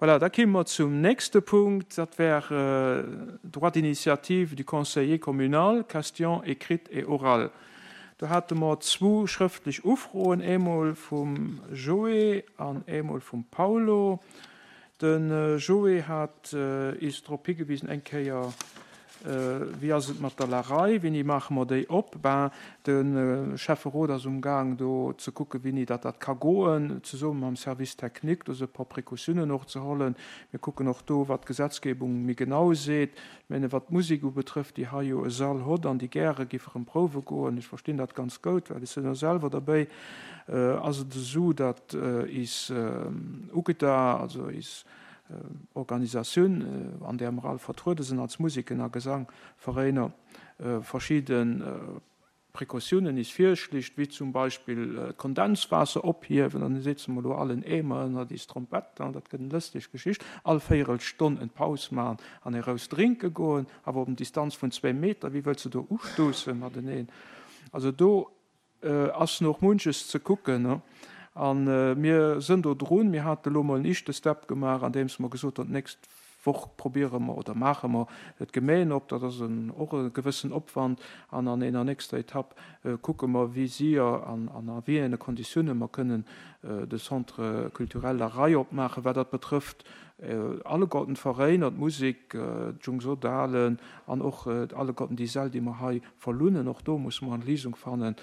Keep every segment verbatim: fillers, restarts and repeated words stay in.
Voilà, da kéime mer zum nächste Punkt, dat wär Droit d'initiative du conseiller communal, question écrite et orale. Do hate mer zwou schrëftlech Ufroen, eemol vum Joé an eemol vum Paulo. De Joé hat is drop higewisen, eng Kéier, Wéi ass et mat der Larei, wéini maache mer déi op? Ben, de Schäfferot ass umgaang do ze kucken, wéini datt dat ka goen, zesumme mam Service technique, do se e puer Précautiounen och ze hollen. Mir kucken och do, wat d'Gesetzgebung méi genau seet. Ech menge wat d'Musek ubetrëfft, déi hei jo e Sall hott an déi gäre giff erëm prouwe goen, ech verstinn dat ganz goud, well ech sinn jo selwer derbéi, ass et esou, datt is UGDA, also is Organisatioun, an där mer all vertruede sinn als Museken a Gesangveräiner, verschidde Precautiounen is virschlicht, wéi zum Beispill d'Kondenswaasser ophiewen, an da setze mer elo all en Eemer ënnert is Trompett, an dat gëtt en lësteg Geschicht, all Véierelstonn en Paus maachen an e Rouss drénke goen, awer op en Distanz vun zwee Meter, wéi wëlls de do ustousse mateneen? Also do ass nach munches ze kucken. A mir sënn do drun. Mir hate lo mol en éischte Step gemaach, andeems mer gesot hunn, d'nächst Woch probiere mer oder maache mer d'Gemeen op. Dat ass och e gewëssen Opwand. An an enger nächster Etapp kucke mer, wéi séier an a wéi enge Konditioune mer kënnen de Centre culturel La Rei opmaachen. Wat dat betrëfft alleguerten d'Veräiner, d'Musek, d'Jungsodalen an och alleguerten déi Säll, déi mer hei verlunnen. Och do musse mer eng Léisung fannen,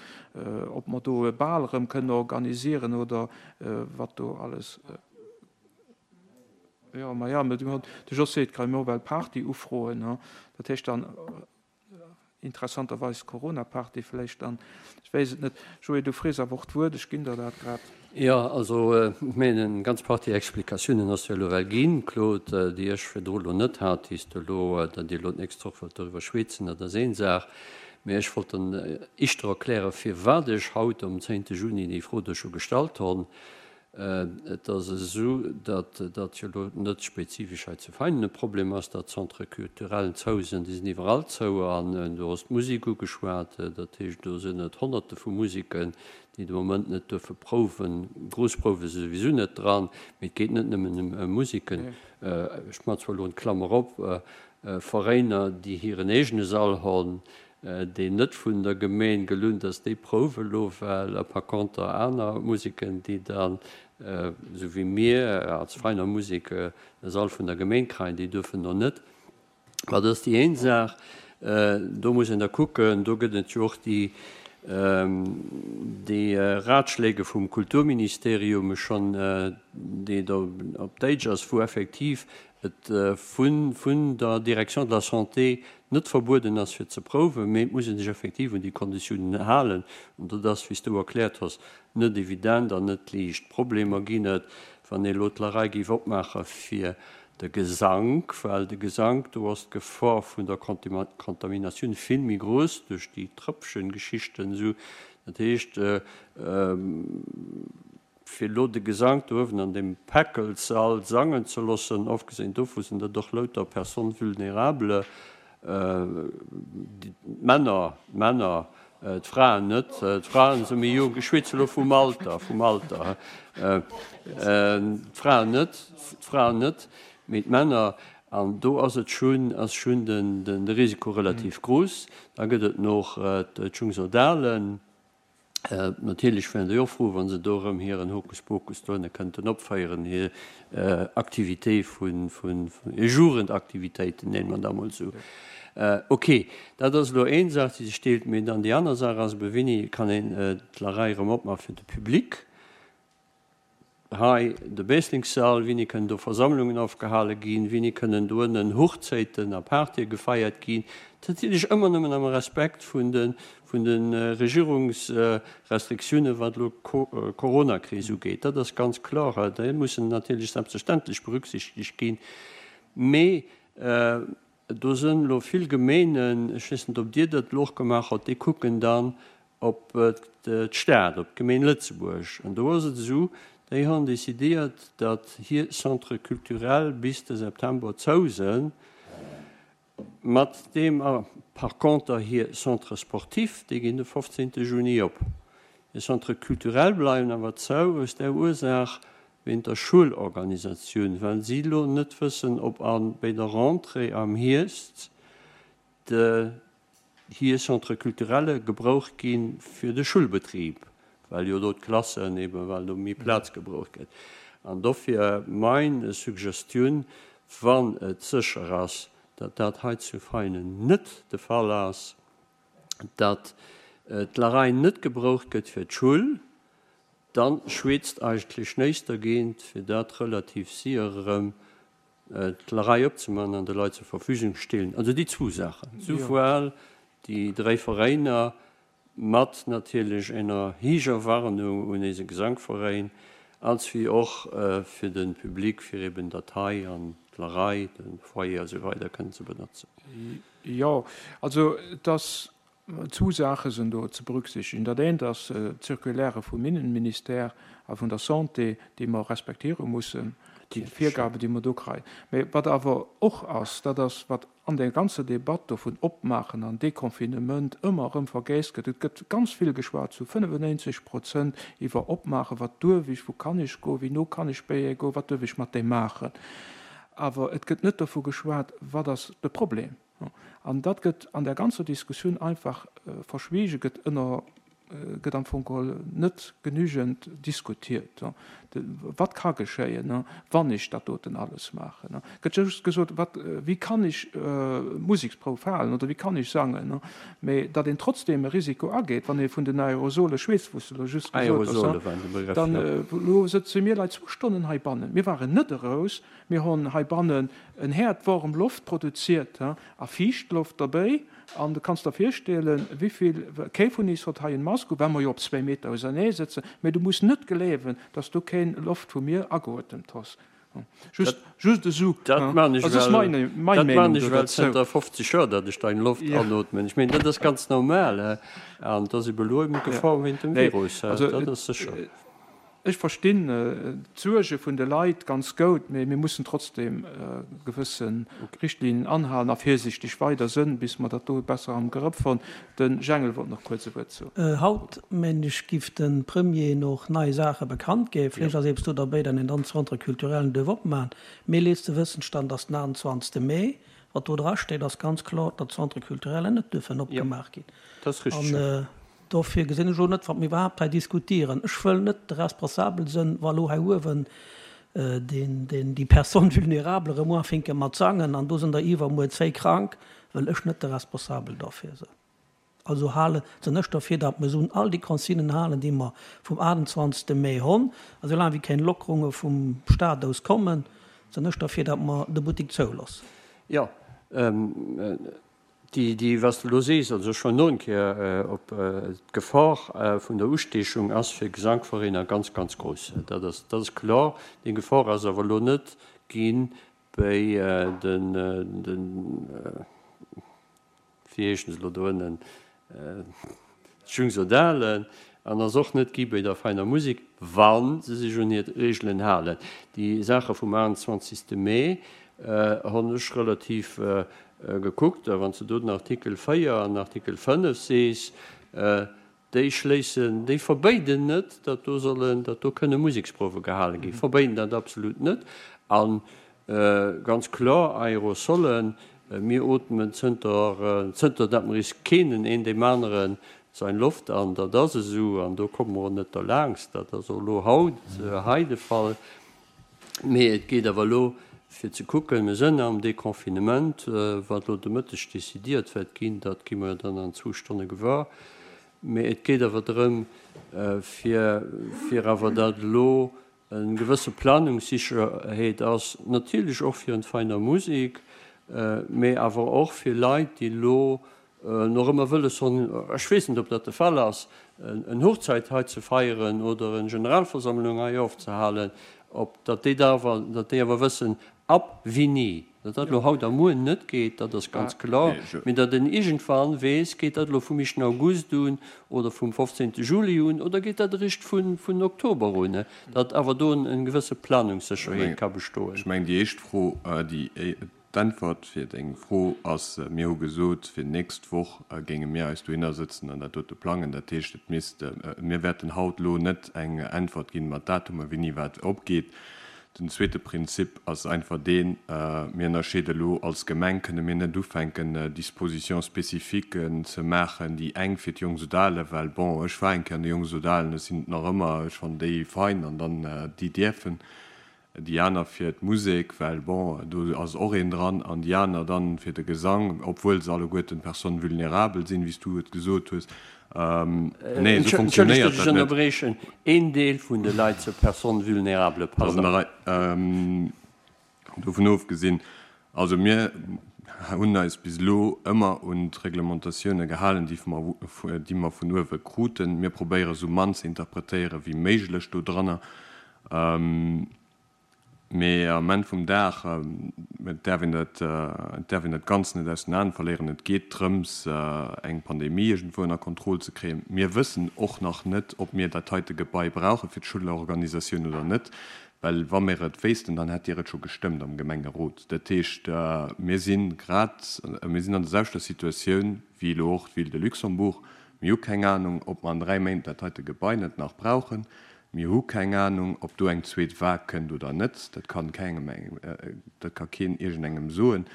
ob mer do e Bal erëm kënnen organisieren oder wat do alles. Jo, ma ja, de Jos seet grad, mir well Party ufroen. Dat heescht dann Interessanterweis Corona-Party vläicht dann, ech weess et net. Joé, du frees awer och d'Wuert, ech ginn der dat grad. Jo, also ech mengen, eng ganz Partie Explikatiounen ass jo elo well ginn, Claude, déi ech virdru elo net hat, déi s de elo, datt Dir elo d'nächst Woch wëllt doriwwer schweetzen, dat ass een Saach. Mä ech wollt dann éischter erklären, firwat ech haut um zéngte Juni déi Fro do scho gestallt honn. Et ass esou, datt dat jo elo net spezifesch hei zu Veinen e Problem ass, datt d'Centres culturellen zou sinn. Déi sinn iwwerall zou. An du hues d'Musek ugeschwat. Dat heescht, do sinn et Honnerte vu Museken, déi de Moment net duerfe prouwen. Grouss Prouwe si souwisou net dran. Mee et geet net nëmmen ëm Museken. Ech maachen zwar elo eng Klammer op, Veräiner, déi hiren eegene Sall hunn, deen net vun der Gemeen gelunt ass, déi prouwe lo well, a par conter aner Museken, déi dann, esou wéi mir als Veiner Musek, e Sall vun der Gemeen kreien, déi duerfen do net. Ma dat ass déi een Saach. Do muss een da kucken, do gëtt et jo och déi, déi Ratschläge vum Kulturministerium schonn, déi do op Däitsch ass, wou effektiv et vun vun der Direction de la Santé net verbueden ass fir ze prouwen, mee et muss ee sech effektiv un déi Konditiounen halen. An dat ass, wéi s du erkläert hues, net evident an net liicht. Problemer ginn et, wann ee elo d'Larei géif opmaache fir de Gesank, well de Gesank, do ass d'Gefor vun der Kontaminatioun vill méi grouss duerch déi Trëppchen-Geschichten esou. Dat heescht, Fir elo de Gesank do uewen an deem Päckelssall sangen ze loossen, ofgesinn dovu sinn dat och louter Personnes vulnérables, d'Männer, d'Männer, d'Fraen net, d'Fraen si méi jonk, ech schwätze elo vum Alter, vum Alter, d'Fraen net, d'Fraen net, mee d'Männer, an do ass et schonn, ass schonn de Risiko relativ grouss. Da gëtt et nach d'Jungsodalen. Natierlech wären déi och frou, wa se do erëm hiren Hokuspokus dohinne kënnten opféieren, hir Activité vun, hir Jugendaktivitéiten, nenne mer dat emol esou. Ok, dat ass elo een Saach, déi sech deelt. Mee dann déi aner Saach ass ebe, Wéini kann een d'Larei erëm opmaache fir de Public? Hei de Bässlingssall, wéini kënnen do Versammlungen ofgehale ginn, wéini kënnen do ënnen Hochzäiten a Partye gefeiert ginn, natierlech ëmmer nëmmen am Respekt vun de vun de Regierungsrestriktiounen, wat elo d'Coronakris ugeet. Dat ass ganz kloer, déi mussen natierlech selbstverständlech berücksichtegt ginn. Mee do sënn elo vill Gemeenen, ech weess net, ob Dir dat elo och gemaach hutt, déi kucken dann, op d'Stad, op d'Gemeen Lëtzebuerg. An do ass et esou, déi hunn decidéiert, datt hir Centres culturels bis de September zou sënn, mat deem a par conter hir Centres sportifs, déi ginn de fofzéngte Juni op. Hir Centres culturels bleiwen awer zou, aus där Ursaach, wéint der Schoulorganisatioun, well si elo net wëssen, ob a bei der Rentrée am Hierscht de hir Centre culturelle gebraucht gi fir de Schulbetrib, well jo do d'Klassen eben, well do méi Plaz gebraucht gëtt. An dofir mein Suggestioun, wann et sécher ass, datt dat hei zu Veinen net de Fall ass, datt d'Larei net gebraucht gëtt fir d'Schull, dann schwätzt eigentlech näischt dergéint, fir dat relativ séier erëm d'Larei opzemaachen an de Leit zur Verfügung stellen. Also déi zwou Saachen, souwuel déi dräi Veräiner mat natierlech enger héijer Warnung un eise Gesankveräin, als wéi och fir de Public, fir eben dat hei an d'Larei, de Foyer a sou weider kënnen ze benotzen. Jo, also et ass, zwou Saache sinn do ze berücksichtigen. Dat eent ass d'Circulaire vum Innenministère a vun der Santé, déi mer respektiere mussen, déi Virgaben, déi mer do kréien. Mä wat awer och ass, dat ass, wat an där ganzer Debatt do vun Opmaachen an Deconfinement ëmmer erëm vergéisst gëtt, Et gëtt ganz vill geschwat, zu fënnefennéinzeg Prozent, iwwer Opmaachen, wat duerf ech, wou kann ech goen, wéi no kann ech béie goen, wat duerf ech mat deem maachen. Awer et gëtt net dovu geschwat, wat ass de Problem. An dat gëtt an där ganzer Diskussioun einfach verschwiegen, gëtt ënner, gëtt am Fong geholl net genügend diskutiert. Wat ka geschéien, wann ech dat doten alles maachen? Gëtt just gesot, wat, wéi kann ech Museksprouf halen oder wéi kann ech sangen? Mä datt een trotzdem e Risiko ageet, wann ee vun den Aerosole schwätzt, wou s de elo just gesot hues, dann elo sëtze mir leit zwou Stonnen heibannen, mir waren net eraus, Mir hon heibannen en Häerd warm Loft produziert a fiicht Loft derbéi. An du kanns der virstellen, wivill, kee vun is hott hei en Mask u, well mer jo op zwéi Meter ausernee sëtzen, mee du muss net gleewen, dass du keen Loft vu mir ageotemt hoss. Just, just esou. Dat man ech Also ass well, meine, mei dat man Meenung ech do well derzou. zënter fofzeg Joer, datt ech dein Loft Ja. anootmen. Ech meen, dat ass ganz normal, he. An et ass ebe elo eben Ja. d'Gefor wéint dem Nee, Virus, he. also Dat et, ass sécher. Ech verstinn d'Suerge vun de Leit ganz goud, mee mir mussen trotzdem gewësse Richtlinnen anhalen a virsiichteg weider sënn, bis mer dat do besser am Grëff hunn. De Jengel wollt nach kuerz e Wuert soen. Haut, mengen ech, giff de Premier noch nei Saache bekannt ginn. Vläicht ass eppes do derbäi, dann een dann Centre culturellen duerf opmachen. Mee letzte Wëssenstand ass den achtundzwanzegste Mee. Wat do dra steet, ass ganz kloer, datt d'Centre culturellen net duerfen opgemaach ginn. Dat ass richteg. An dofir gesinn ech och net, wat mir iwwerhaapt hei diskutieren. Ech wëll net de Responsabel sinn, wa lo hei uewen deen, deen, déi Personne vulnérable erëm uafinke mat sangen an do sinn der iwwermuer zwéi krank, wëll ech net de Responsabel dofir sinn. Also hale, sinn ech dofir, datt mir sollen all déi Consignen halen, déi mer vum achtundzwanzegste Mee hunn. A soulaang wéi keng Lockerunge vum Staat aus kommen, sinn ech dofir, datt mer de Buttek zouloossen. Jo, déi, déi, wat s de elo sees, also ech wollt no eng Kéier op d'Gefor vun der Ustiechung ass fir Gesankveräiner ganz, ganz grouss. Dat ass, dat ass kloer. Déi Gefor ass awer elo net gi bei den, den, wéi heeschen se elo do ënnen, d'Jungsodalen, an ass och net gi bei der Veiner Musek, wa se sech un hir Regeln halen. Déi Saache vum achtundzwanzegste Mee hunn ech relativ gekuckt, a wann s de do den Artikel véier an Artikel fënnef sees, déi schléissen, déi verbéiden net, datt do sollen, datt do kënne Museksprouwe gehale ginn, verbéiden dat absolut net. A ganz kloer, Aerosolen, mir ootmen zënter, zënter datt mer is kennen, een deem aneren sein Loft an, dat ass esou, an do komme mer och net derlaangst, dat ass och elo haut hei de Fall. Mee et geet awer elo fir ze kucken, mir sënn am Deconfinement, wat elo de Mëtteg décidiert wäert ginn, dat gi mer jo dann an zwou Stonne gewuer. Mee et geet awer drëm, fir, fir awer dat elo eng gewësse Planungssicherheet ass, natierlech och fir en Veiner Musek, mee awer och fir Leit, déi elo nach ëmmer wëlles hunn, ech weess net, ob dat de Fall ass, en Hochzeit hei ze feieren oder en Generalversammlung hei ofzehalen, ob datt déi da awer, datt déi awer wëssen, ab wéini. Datt dat elo haut a muer net geet, dat ass ganz kloer, mee datt een iergendwann weess, geet dat elo vum éischten August un oder vum fofzéngte Juli un oder geet dat eréischt vun, vun Oktober un, datt awer do en gewësse Planungssécherheet ka bestoen. Ech mengen, déi éischt Fro, déi D'Äntwert fir deng Fro ass, mir hu gesot, fir d'nächst Woch géinge mir eis dohinner sëtzen an dat dote plangen. Dat heescht, et misst, mir wäerten haut elo net eng Äntwert ginn mat Datumer, wéini wat opgeet. Den zweete Prinzip ass einfach deen, mir ënnerscheede elo als Gemeng, kënne mir net ufänken, Dispositions spécifiques ze maachen, déi eng fir d'Jongsoudalen, well bon, ech war eng Kéier an de Jongsoudalen, ech sinn et nach ëmmer, ech fannen déi fein an dann déi dierfen. déi aner fir d'Musek, well bon, do ass och een dran, an déi aner dann fir de Gesang, obwuel se alleguerten Personnes vulnérables sinn, wéi s du et gesot hues. Nee, esou Entschëllegt, funktionéiert datt ech dat net. ënnerbriechen. Een Deel vun de Leit zur Personne vulnérable, Dat ass an pardon. der Rei. Dovun ofgesinn, also mir hunn eis bis elo ëmmer un d'Reglementatioune gehalen, déi mer, déi mer vun uewe kruten. Mir probéiere sou mann ze interpretéiere wéi méiglech dodranner. Mee am Enn vum Dag, et däerf een dat, et däerf een dat Ganzt net aus den Aen verléieren, et geet drëms, eng Pandemie iergendwou ënner Kontroll ze kréien. Mir wëssen och nach net, ob mir dat heite Gebai brauche fir d'Schoulorganisatioun oder net, well wa mir et wéissten, dann hätt Dir et scho gestëmmt am Gemengerot. Dat heescht, mir si grad, mir sinn an der selwechter Situatioun wéi elo och d'Ville de Luxembourg. Mir hu keng Anung, ob mer an dräi Méint dat heite Gebai net nach brauchen. Mir hu keng Anung, ob do eng zweet Vague kënnt oder net. Dat kann kengem, dat ka keen iergendengem soen.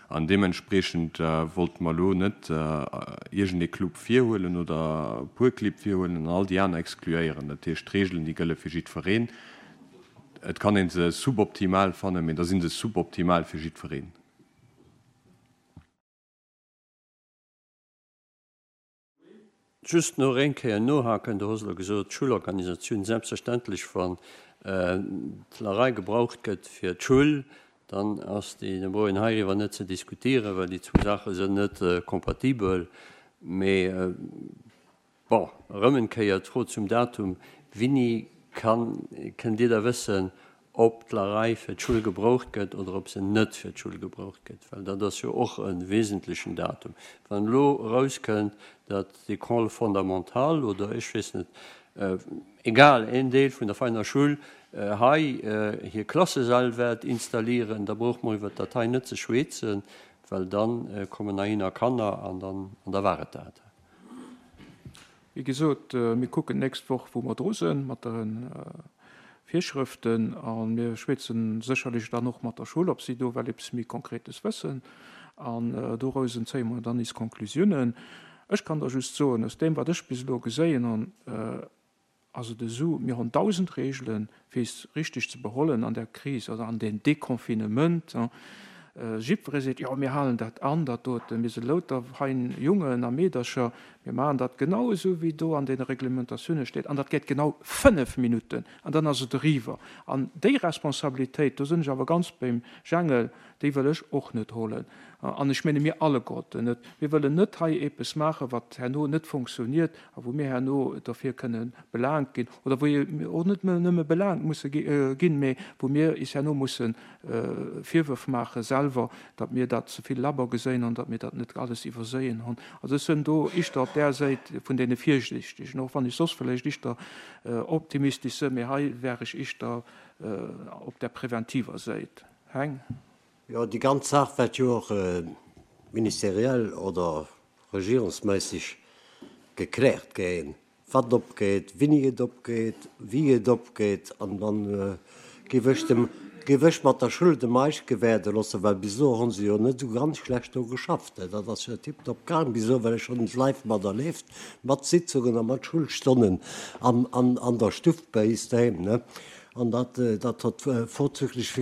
An deementspreechend wollte mer elo net iergendee Club virhuelen oder e puer Clibb virhuelen an all déi aner exkluéieren. Dat heescht, d'Reegelen, déi gëlle fir jiddwereen. Et kann ee se suboptimal fannen, mee da si se suboptimal fir jiddwereen. Just nach eng Kéier nohaken, Du hues elo gesot, d'Schoulorganisatioun, selbstverständlech, wann d'Larei gebraucht gëtt fir d'Schoul, dann ass déi, da brauch een heiriwwer net ze diskutieren, well déi zwou Saache sinn net kompatibel. Mee bon, erëm eng Kéier d'Fro zum Datum, Wéini kann, kënnt Dir da wëssen, ob d'Larei fir d'Schoul gebraucht gëtt oder ob se net fir d'Schoul gebraucht gëtt, well dat ass jo och e wesentlechen Datum. Wann elo erauskënnt, datt d'École fondamentale oder ech weess net, egal, een Deel vun der Veiner Schoul hei hir Klassesäll wäert installieren, da brauche mer iwwert dat hei net ze schweezen, well da kommen heihinner Kanner an dann, an da war et dat. Wéi gesot, mir kucken d'nächst Woch, wou mer dru sinn mat de Virschrëften a mir schwätze sécherlech dann och mat der Schoul, ob si do well eppes méi Konkretes wëssen. An dorausen zéie mer dann is Konklusiounen. Ech kann der just soen, aus deem, wat ech bis elo geséien hunn, ass et esou, mir hunn dausend Reegelen, fir is richteg ze behollen an der Kris oder an deem Deconfinement. Jiddweree seet, jo, mir halen dat an, dat doten, mir si louter fein Jungen a Meedercher, mir maachen dat genau esou, wéi do an deene Reglementatioune steet, an dat geet genau fënnef Minutten an dann ass et eriwwer. An déi Responsabilitéit, do sinn ech awer ganz beim Jangel, déi wëll ech och net holen. An ech menge mir alleguerten net. Mir wëllen net hei eppes maachen, wat herno net funktioniert a wou mir herno derfir kënne belaangt ginn oder wou mir och net nëmme belaangt musse ginn, mee wou mir is herno musse Virwërf maache selwer, datt mir dat ze vill labber geséien hunn, datt mir dat net alles iwwerséien hunn. Also ech sinn do ischter op där Säit vun deene Virsiichtegen, och wann ech soss vläicht ischter optimistesch sinn, mee hei wär ech ischter op där preventiver Säit. Heng. Jo, déi ganz Saach wäert jo och ministeriell oder regierungsméisseg gekläert ginn, wat opgeet, wéini et opgeet, wéi et opgeet. An dann géif ech dem, géif ech mat der Schoul dem Meisch gewäerde loossen, well bis elo hu se jo net esou ganz schlecht do geschafft. Dat ass jo tiptop gaang bis elo, well ech hunn et live materlieft, mat Sitzungen a mat Schulstonnen an, an, an der Stuff bei is doheem, ne. An dat, dat huet vorzüglich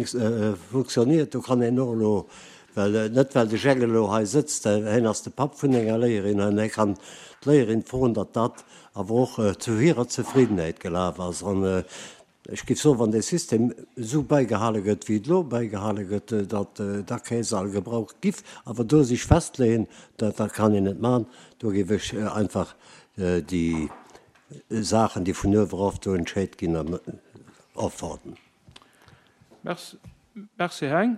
funktioniert. Do kann een och elo, well, net well de Jhang elo hei sëtzt, hien ass de Papp vun enger Léierin, an hie kann d'Léierin froen, datt dat awer och zu hirer Zefriddenheet gelaf ass. An ech géif soen, wann dee System esou bäigehale gëtt, wéi et elo bäigehale gëtt, datt da kee Sall gebraucht giff. Awer do sech festleeën, dat, dat kann een net maachen. Do géif ech einfach déi Saachen, déi vun uewe erof do entscheet ginn, ofwarden. Merci, merci Heng.